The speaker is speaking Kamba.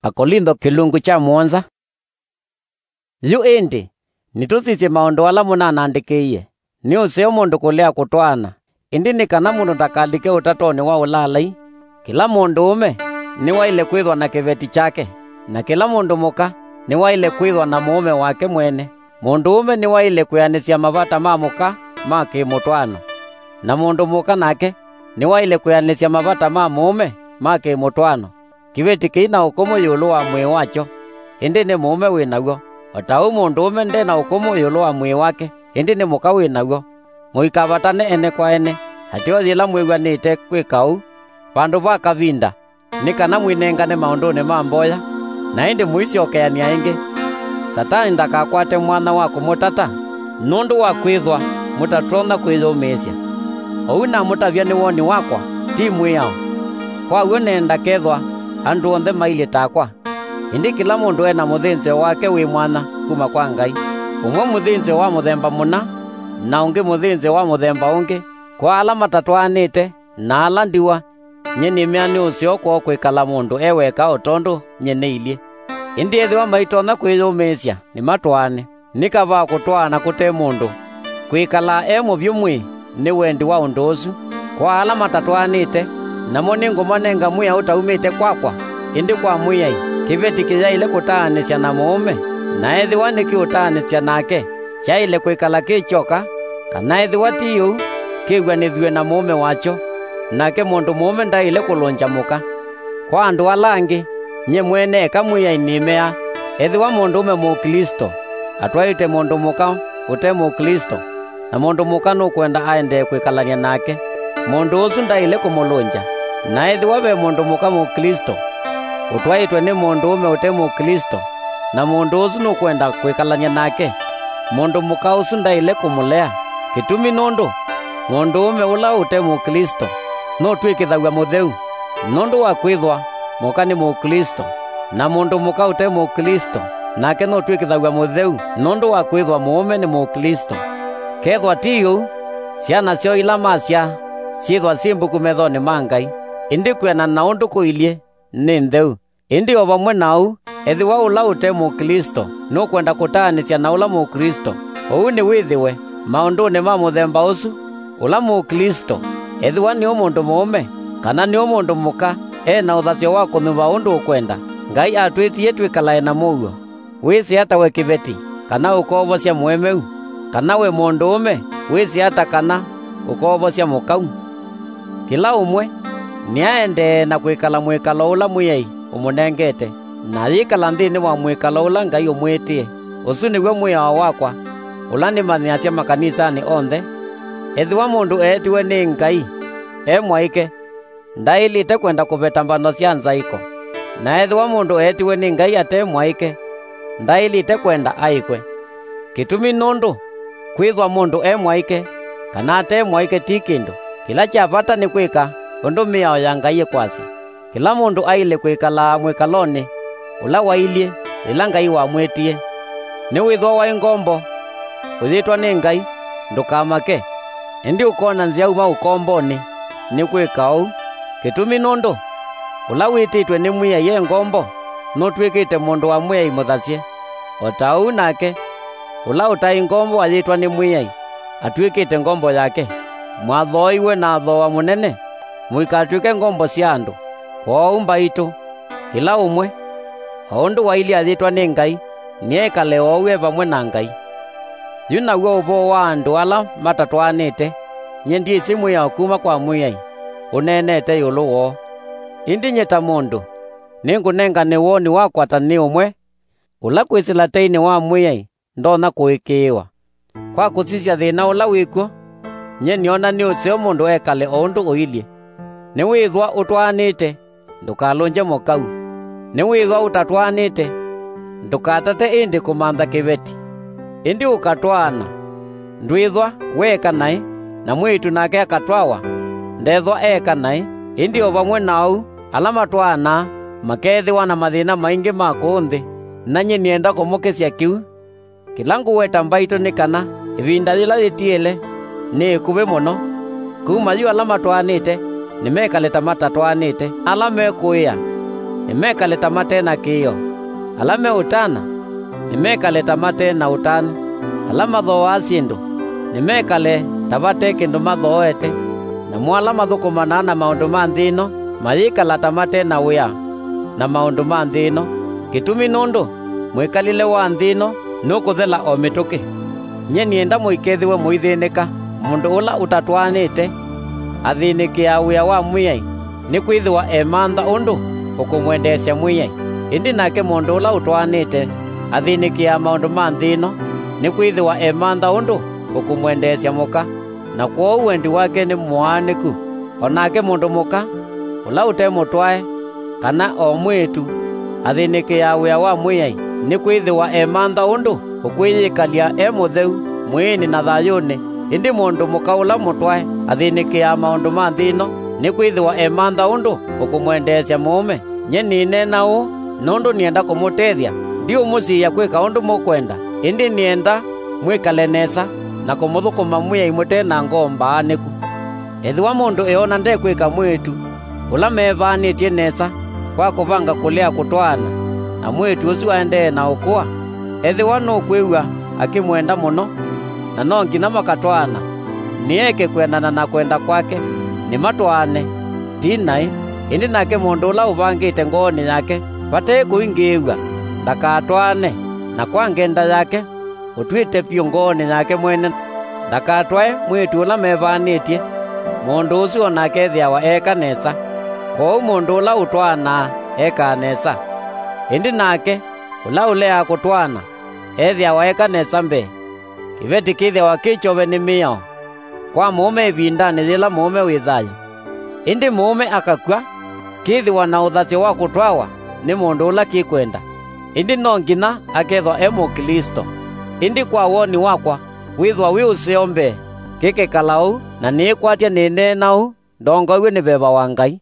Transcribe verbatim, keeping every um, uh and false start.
Akolintho kĩlungu kya mũonza. Yu ĩndĩ, nĩtũsisye maũndũ ala mũnanandĩkĩie. Nĩ ũseo mũndũ kũlea kũtwaana, ĩndĩ nĩ kana mũndũ ndakalike ũtatonĩ wa ũlaalai. Kĩla mũndũũme nĩwaĩle kwĩthwa na kĩveti kyake, na kĩla mũndũ mũka nĩwaĩle kwĩthwa na mũũme wake mwene. Mũndũũme nĩwaĩle kwĩanĩsya mavata ma mũka ma kĩ-mũtwaano, na mũndũ mũka nake nĩwaĩle kwĩanĩsya mavata ma mũũme ma kĩ-mũtwaano. Kĩveti kĩi na ũkũmũ ĩũlũ wa mwĩĩ wakyo, ĩndĩ nĩ mũũme wĩ naw'o, o ta ũu mũndũũme nde na ũkũmũ ĩũlũ wa mwĩĩ wake, ĩndĩ nĩ mũka wĩ naw'o. Mũikavatane ene kwa ene, ateo yĩla mwĩw'anĩte kwĩka ũu, vandũ va kavinda, nĩ kana mwĩnengane maũndũnĩ ma mboya, na ĩndĩ mũisyokeanĩa ĩngĩ. Satani ndakakwate mwanya wa kũmũtata, nũndũ wa kwĩthwa mũtatonya kwĩyũmĩĩsya. Ũu namũtavya nĩ woni wakwa, ti mwĩao. Kwa w'o nenda kethwa andũ onthe mailyĩ takwa. Ĩndĩ kĩla mũndũ e na mũthĩnzĩo wake wĩ mwanya kuma kwa Ngai, ũmwe mũthĩnzĩo wa mũthemba mũna, na ũngĩ mũthĩnzĩo wa mũthemba ũngĩ. Kwa ala matatwaanĩte na ala ndiwa, nyie nĩmea nĩ ũseo kwoo kwĩkala mũndũ e weka o tondũ nyie nĩilyĩ. Ĩndĩ ethĩwa maitonya kwĩyũmĩĩsya, nĩmatwaane. Nĩ kavaa kũtwaana kũte mũndũ kwĩkalaa e mũvyũ mwĩĩ nĩ wendi wa ũndũ ũsu. Kwa ala matatwaanĩte, namo nĩngũmanenga mwĩao ũtaumĩte kwakwa, ĩndĩ kwa Mwĩai. Kĩveti kĩyaĩle kũtaanĩsya na mũũme, na ethĩwa nĩkĩũtaanĩsya nake, kyaĩle kwĩkala kĩ kyoka, kana ethĩwa ti ũu, kĩw'anĩthw'e na mũũme wakyo, nake mũndũ mũũme ndaĩle kũlũngya mũka. Kwa andũ ala angĩ, nyie mwene eka Mwĩai nĩmea, ethĩwa mũndũũme Mũklĩsto atwaĩte mũndũ mũka ũte Mũklĩsto, na mũndũ mũka nũkwenda aendee kwĩkalany'a nake, mũndũ ũsu ndaĩle kũmũlũngya. Na ethĩwa ve mũndũ mũka Mũklĩsto ũtwaĩtwe nĩ mũndũũme ũte Mũklĩsto, na mũndũ ũsu nũkwenda kwĩkalany'a nake, mũndũ mũka ũsu ndaĩle kũmũlea. Kĩtumi nũndũ mũndũũme ũla ũte Mũklĩsto nũtw'ĩkĩthaw'a mũtheu, nũndũ wa kwĩthwa mũka nĩ Mũklĩsto, na mũndũ mũka ũte Mũklĩsto nake nũtw'ĩkĩthaw'a mũtheu nũndũ wa kwĩthwa mũũme nĩ Mũklĩsto. Kethwa ti ũu, syana syoo ila masyaa syĩthwa syĩ mbuku methonĩ ma Ngai, ĩndĩ kwĩanana na ũndũ kũilyĩ nĩ ntheu. Ĩndĩ o vamwe na ũu, ethĩwa ũla ũte Mũklĩsto nũkwenda kũtaanĩsya na ũla Mũklĩsto, ũu nĩwĩthĩwe maũndũnĩ ma mũthemba ũsu. Ũla Mũklĩsto, ethĩwa nĩwe mũndũ mũũme kana nĩwe mũndũ mũka, e na ũthasyo wa kũnyuva ũndũ ũkwenda. Ngai atwĩtie twĩkalae na mũuo. Wĩsĩ ata we kĩveti, kana ũkoovosya mũemeu? Kana we mũndũũme, wĩsĩ ata kana ũkoovosya mũkau? Kĩla ũmwe nĩaendee na kwĩkala mwĩkalo ũla Mwĩai ũmũnengete, na ayĩkala nthĩnĩ wa mwĩkalo ũla Ngai ũmwĩtĩe. Ũsu nĩw'o mwĩao wakwa, ũla nĩmanyĩasya makanisanĩ onthe. Ethĩwa mũndũ eetiwe nĩ Ngai e mwaĩke, ndaĩlĩte kwenda kũveta mbano sya nzaĩko. Na ethĩwa mũndũ eetiwe nĩ Ngai ate mwaĩke, ndaĩlĩte kwenda aĩkwe. Kĩtumi nũndũ kwĩthwa mũndũ e mwaĩke kana ate mwaĩke ti kĩndũ. Kĩla kya vata nĩ kwĩka ũndũ mĩao ya Ngai ĩkwasya. Kĩla mũndũ aĩle kwĩkalaa mwĩkalonĩ ũla wailyĩ yĩla Ngai wamwĩtie. Nĩwĩthwa waĩ ngombo ũyĩtwa nĩ Ngai, ndũkamake, ĩndĩ ũkoona nzĩa uma ũkombonĩ. Nĩ kwĩka ũu, kĩtumi nũndũ ũla wĩtĩtwe nĩ Mwĩai e ngombo nũtw'ĩkĩte mũndũ wa Mwĩai mũthasye. O ta ũu nake, ũla ũtaĩ ngombo ayĩtwa nĩ Mwĩai atw'ĩkĩte ngombo yake. Mwathooiwe na thooa mũnene, mũikatw'ĩke ngombo sya andũ. Kwoou mbaitũ, kĩla ũmwe, o ũndũ wailyĩ ayĩtwa nĩ Ngai, nĩekale oou e vamwe na Ngai. Yu naw'o ũvoo wa andũ ala matatwaanĩte, nyie ndyĩsĩ mwĩao kuma kwa Mwĩai ũneenete ĩũlũ woo. Ĩndĩ nyie ta mũndũ, nĩngũnengane woni wakwa ta nĩ ũmwe ũla kwĩsĩla teinĩ wa Mwĩai ndonya kũĩkĩĩwa. Kwa kũsisya thĩna ũla wĩ kw'o, nyie nĩona nĩ ũseo mũndũ ekale o ũndũ ũilyĩ. Nĩwĩthwa ũtwaanĩte, ndũkalũngye mũkau. Nĩwĩthwa ũtatwaanĩte, ndũkatate ĩndĩ kũmantha kĩveti. Ĩndĩ ũkatwaana, ndwĩthwa weeka naĩ, na mwĩĩtu nake akatwawa, ndethwa eeka naĩ. Ĩndĩ o vamwe na ũu, ala matwaanaa makeethĩwa na mathĩna maingĩ ma kũũ nthĩ, na nyie nĩenda kũmũkĩsya kĩu. Kĩla ngũweta mbaitũ nĩ kana ĩvinda yĩla yĩtiĩle nĩ ĩkuvĩ mũno. Kuma yu ala matwaanĩte nĩmekale ta matatwaanĩte. Ala mekũĩa nĩmekale ta mate na kĩĩo. Ala me ũtana, nĩmekale ta mate na ũtanu. Ala mathooaa syĩndũ, nĩmekale ta vate kĩndũ mathooete. Namo ala mathũkũmanaa na maũndũ ma nthĩ ĩno mayĩkala ta mate na wĩa na maũndũ ma nthĩ ĩno. Kĩtumi nũndũ mwĩkalĩle wa nthĩ ĩno nũkũthela o mĩtũkĩ. Nyie nĩenda mũikethĩwe mũithĩnĩka. Mũndũ ũla ũtatwaanĩte athĩnĩkĩaa wĩa wa Mwĩai, nĩkwĩthĩwa emantha ũndũ ũkũmwendeesya Mwĩai. Ĩndĩ nake mũndũ ũla ũtwaanĩte athĩnĩkĩaa maũndũ ma nthĩ ĩno, nĩkwĩthĩwa emantha ũndũ ũkũmwendeesya mũka, na kwoou wendi wake nĩ mũaanĩku. O nake mũndũ mũka ũla ũte mũtwae kana o mwĩĩtu athĩnĩkĩaa wĩa wa Mwĩai, nĩkwĩthĩwa emantha ũndũ ũkwĩyĩkalya e mũtheu mwĩĩnĩ na thayũnĩ. Ĩndĩ mũndũ mũka ũla mũtwae athĩnĩkĩaa maũndũ ma nthĩ ĩno, nĩkwĩthĩwa emantha ũndũ ũkũmwendeesya mũũme. Nyie nĩneena ũũ nũndũ nĩenda kũmũtethya. Ndiũmũsiĩĩa kwĩka ũndũ mũkwenda, ĩndĩ nĩenda mwĩkale nesa na kũmũthũkũma Mwĩai mũte na ngoo mbaanĩku. Ethĩwa mũndũ eona ndekwĩka mwĩĩtu ũla mevaanĩtye nesa kwa kũvanga kũlea kũtwaana, na mwĩĩtu ũsu aendee na ũkũa, ethĩwa nũkwĩw'a akĩmwenda mũno, na no nginya makatwaana, nĩeke kwendana na kwenda kwake, nĩmatwaane. Ti naĩ. Ĩndĩ nake mũndũ ũla ũvangĩte ngoonĩ yake vate kũingĩĩw'a, ndakatwaane, na kwa ngenda yake ũtw'ĩte vyũ ngoonĩ yake mwene, ndakatwae mwĩĩtu ũla mevaanĩtye. Mũndũ ũsu o nake ethĩawa eeka nesa. Kwoou mũndũ ũla ũtwaanaa ekaa nesa. Ĩndĩ nake ũla ũleaa kũtwaana ethĩawa eeka nesa mbee. Kĩveti kĩthĩawa kĩ kyove nĩ mĩao kwa mũũme ĩvindanĩ yĩla mũũme wĩ thayũ. Ĩndĩ mũũme akakw'a, kĩthĩwa na ũthasyo wa kũtwawa nĩ mũndũ ũla kĩkwenda, ĩndĩ no nginya akethwa e Mũklĩsto. Ĩndĩ kwa woni wakwa, wĩthwa wĩ ũseo mbee kĩkekala ũu, na nĩĩkwatya nĩneena ũu ndongoew'e nĩ veva wa Ngai.